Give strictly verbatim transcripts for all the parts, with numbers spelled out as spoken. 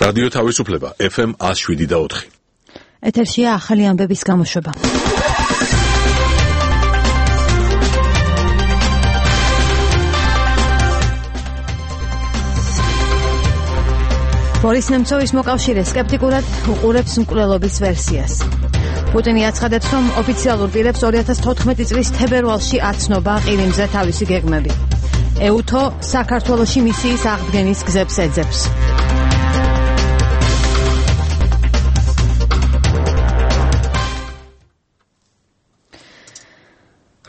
რადიო თავისუფლება ეფ ემ one oh seven და four. ეთერშია ახალი ამბების გამოშვება. ბორის ნემცოვის მოკავშირე სკეპტიკურად უყურებს მკვლელობის ვერსიას. პუტინი აცხადებს, რომ ოფიციალურ პირებს two thousand fourteen წლის თებერვალში აცნობა ყირიმზე თავისი გეგმები. ეუთო საქართველოში მისიის აღდგენის გზებს ეძებს.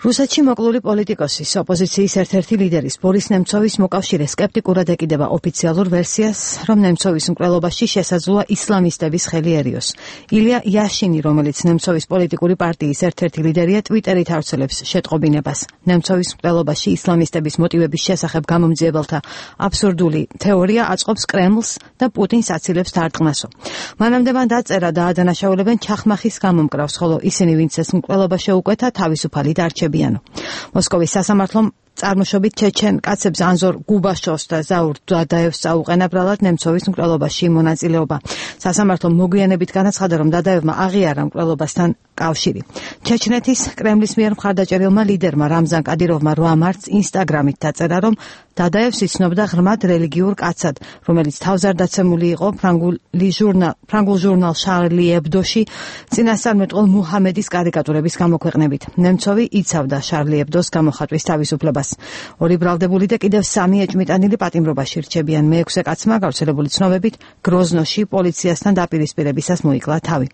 რუსეთში მოკლული პოლიტიკოსის ოპოზიციის ერთ-ერთი ლიდერის ბორის ნემცოვის მოკავშირე სკეპტიკურად ეკიდება ოფიციალურ ვერსიას, რომ ნემცოვის მკვლელობაში შესაძლოა ისლამისტების ხელიერიოს. ილია იაშინი, რომელიც ნემცოვის პოლიტიკური პარტიის ერთ-ერთი ლიდერია, ტვიტერით ავრცელებს შეტყობინებას. ნემცოვის მკვლელობაში ისლამისტების მოტივების შესახებ გამომძიებელთა აბსურდული თეორია აწყობს კრემლს და პუტინს აცილებს დარტყმასო. მანამდე მან დაწერა და ადანაშაულებენ ჩახმახის გამომკრავს, ხოლო ისინი, ვინც ეს მკვლელობა შეუკვეთა, თავისუფალი დარჩებიან. მოსკოვის სასამართლომ წარმოშობით ჩეჩენ კაცებს ანზორ გუბაშოვს და ზაურ დადაევს წაუყენა ბრალად ნემცოვის მკვლელობაში მონაწილეობა. სასამართლომ მოგვიანებით განაცხადა, რომ დადაევმა აღიარა მკვლელობასთან კავშირი. ჩეჩნეთის კრემლის მიერ მხარდაჭერილმა ლიდერმა რამზან კადიროვმა eight მარტს ინსტაგრამით დაწერა, რომ დადაევს იცნობდა ღრმად რელიგიურ კაცად, რომელიც თავზარდაცემული იყო ფრანგული ჟურნალ ფრანგულ ჟურნალ შარლი ებდოში წინასწარმეტყველ მუჰამედის კარიკატურების გამოქვეყნებით. ნემცოვი იცავდა შარლი ებდოს გამოხატვის თავისუფლებას. ორი ბრალდებული და კიდევ სამი ეჭმიტანილი პატიმრობაში რჩებიან. მეექვსე კაცმა გავრცელებული ცნობებით გროზნოში პოლიციასთან დაპირისპირებისას მოიკლა თავი.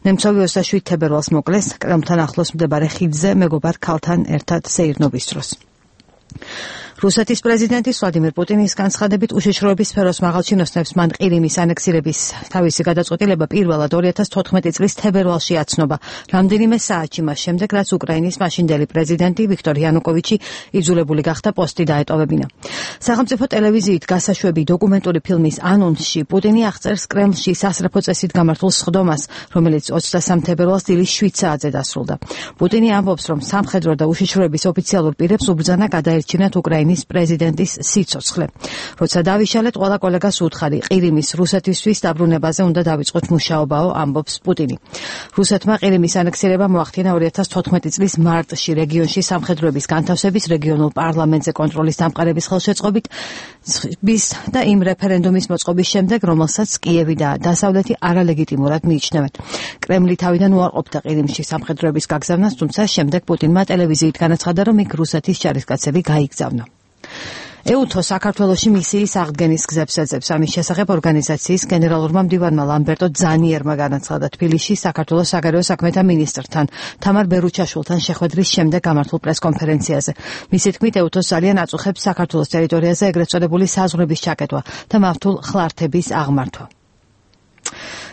ნემცოვი ოცდაშვიდ თებერვალს მოკლეს კრემლთან ახლოს მდებარე ხიდზე მეგობარ ქალთან ერთად სეირნობის დროს. რუსეთის პრეზიდენტის ვლადიმერ პუტინის განცხადებით უშიშროების სფეროს მაღალჩინოსნებს მან ყირიმის ანექსირების თავისი გადაწყვეტილება პირველად two thousand fourteen წლის თებერვალში აცნობა, რამდენიმე საათში მას შემდეგ, რაც უკრაინის მაშინდელი პრეზიდენტი ვიქტორ იანუკოვიჩი იძულებული გახდა პოსტი დაეტოვებინა. სახელმწიფო ტელევიზიით გასაშვები დოკუმენტური ფილმის ანონსში პუტინი აღწერს კრემლში სასწრაფო წესით გამართულ სხდომას, რომელიც ოცდასამი თებერვალს დილის შვიდ საათზე დასრულდა. პუტინი ამბობს, რომ სამხედრო და უშიშროების ოფიციალურ პირებს უბრძანა გადაერჩინათ უკრაინის პრეზიდენტის სიცოცხლე. როცა დავიშალეთ, ყველა კოლეგას უთხარი, ყირიმის რუსეთისთვის დაბრუნებაზე უნდა დავიწყოთ მუშაობაო, ამბობს პუტინი. რუსეთმა ყირიმის ანექსირება მოახდინა two thousand fourteen წლის მარტში რეგიონში სამხედროების განთავსების, რეგიონულ პარლამენტზე კონტროლის დამყარების ხელშეწყობით და იმ რეფერენდუმის მოწყობის შემდეგ, რომელსაც კიევი და დასავლეთი არალეგიტიმურად მიიჩნევენ. კრემლი თავიდან უარყოფდა ყირიმში სამხედროების გაგზავნას, თუმცა შემდეგ პუტინმა ტელევიზიით განაცხადა, რომ იქ რუსეთის ჯარისკაცები გაიგზავნა. ეუთო საქართველოში მისიის აღდგენის გზებს ეძებს. ამის შესახებ ორგანიზაციის გენერალურმა მდივანმა ლამბერტო ძანიერმა განაცხადა თბილისში საქართველოს საგარეო საქმეთა მინისტრთან თამარ ბერუჩაშვილთან შეხვედრის შემდეგ გამართულ პრესკონფერენციაზე. მისი თქმით, ეუთოს ძალიან აწუხებს საქართველოს ტერიტორიაზე ეგრეთ წოდებული საზღვრების ჩაკეტვა და მავთულ ხლართების აღმართვა.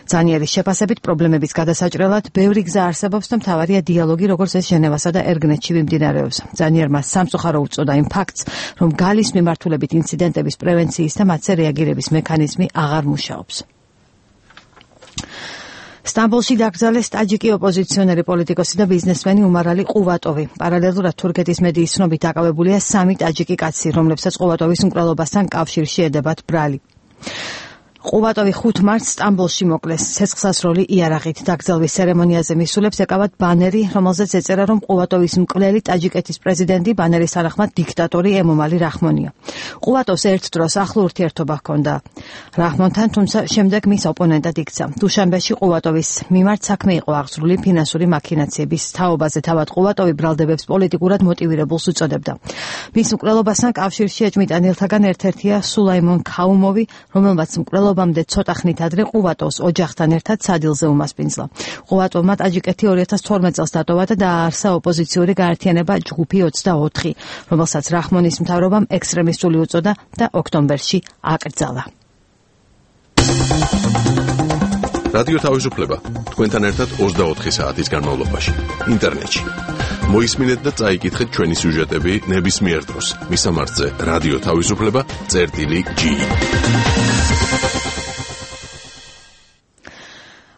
ძანიერის შეფასებით პრობლემების გადასაჭრელად ბევრი გზა არსებობს და მთავარია დიალოგი, როგორც ეს ჟენევასა და ერგნეთში მიმდინარეობს. ძანიერმა სამწუხარო უწოდა იმ ფაქტს, რომ გალის მიმართულებით ინციდენტების პრევენციის და მათზე რეაგირების მექანიზმი აღარ მუშაობს. სტამბოლში დაკრძალეს ტაჯიკი ოპოზიციონერი პოლიტიკოსი და ბიზნესმენი უმარალი ყუვატოვი. პარალელურად თურქეთის მედიის ცნობით დაკავებულია სამი ტაჯიკი კაცი, რომლებსაც ყუვატოვის მკვლელობასთან კავშირში ედებათ ბრალი. ყუვატოვი ხუთ მარტს სტამბოლში მოკლეს. ცეცხლსასროლი იარაღით დაკრძალვის ცერემონიაზე მისულებს ეკავათ ბანერი, რომელზეც ეწერა, რომ ყუვატოვის მკვლელი ტაჯიკეთის პრეზიდენტი ბანერის თანახმად დიქტატორი ემომალი რაჰმონია. ყუვატოვს ერთ დროს ახლო ურთიერთობა ჰქონდა რაჰმონთან, თუმცა შემდეგ მის ოპონენტად იქცა. დუშანბეში ყუვატოვის მიმართ საქმე იყო აღძრული ფინანსური მაქინაციების თაობაზე. თავად ყუვატოვი ბრალდებებს პოლიტიკურად მოტივირებულს უწოდებდა. მის მკვლელობასთან კავშირში ეჭმიტანილთაგან ერთ-ერთია სულაიმონ ქაუმოვი, რომელმაც მკვლელობა მამდე ცოტა ხნით ადრე ყუვატოვს ოჯახთან ერთად სადილზე უმასპინძლა. ყუვატოვმა ტაჯიკეთი two thousand twelve წელს დატოვა და დააარსა ოპოზიციური გაერთიანება ჯგუფი ოცდაოთხი, რომელსაც რაჰმონის მთავრობამ ექსტრემისტული უწოდა და ოქტომბერში აკრძალა. რადიო თავისუფლება თქვენთან ერთად ოცდაოთხი საათის განმავლობაში ინტერნეტში. მოისმინეთ და წაიკითხეთ ჩვენი სიუჟეტები ნებისმიერ დროს. მისამართზე რადიო თავისუფლება წერტილი ჯი.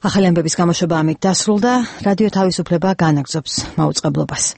ახალი ამბების გამოშვება ამით დასრულდა. რადიო თავისუფლება განაგრძობს მაუწყებლობას.